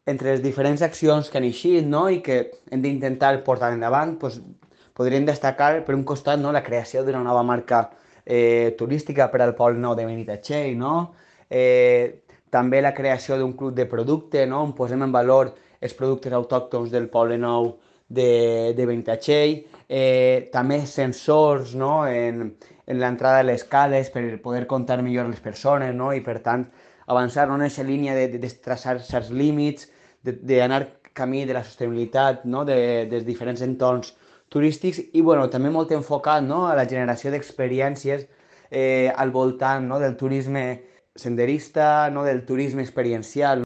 entre les diferents accions que han eixit, no? I que hem d'intentar portar endavant, doncs, podríem destacar, per un costat, no? La creació d'una nova marca turística per al Pol Nou de Benitatxell, no? També la creació d'un club de producte, no? On posem en valor els productes autòctons del Poble Nou de Benitatxell, també sensors, no? En l'entrada de les cales per poder comptar millor les persones, no? I per tant avançar, no? En aquesta línia de traçar certs límits, d'anar camí de la sostenibilitat, no? Dels diferents entorns turístics i bueno, també molt enfocat, no? A la generació d'experiències al voltant, no? Del turisme senderista, no? Del turisme experiencial.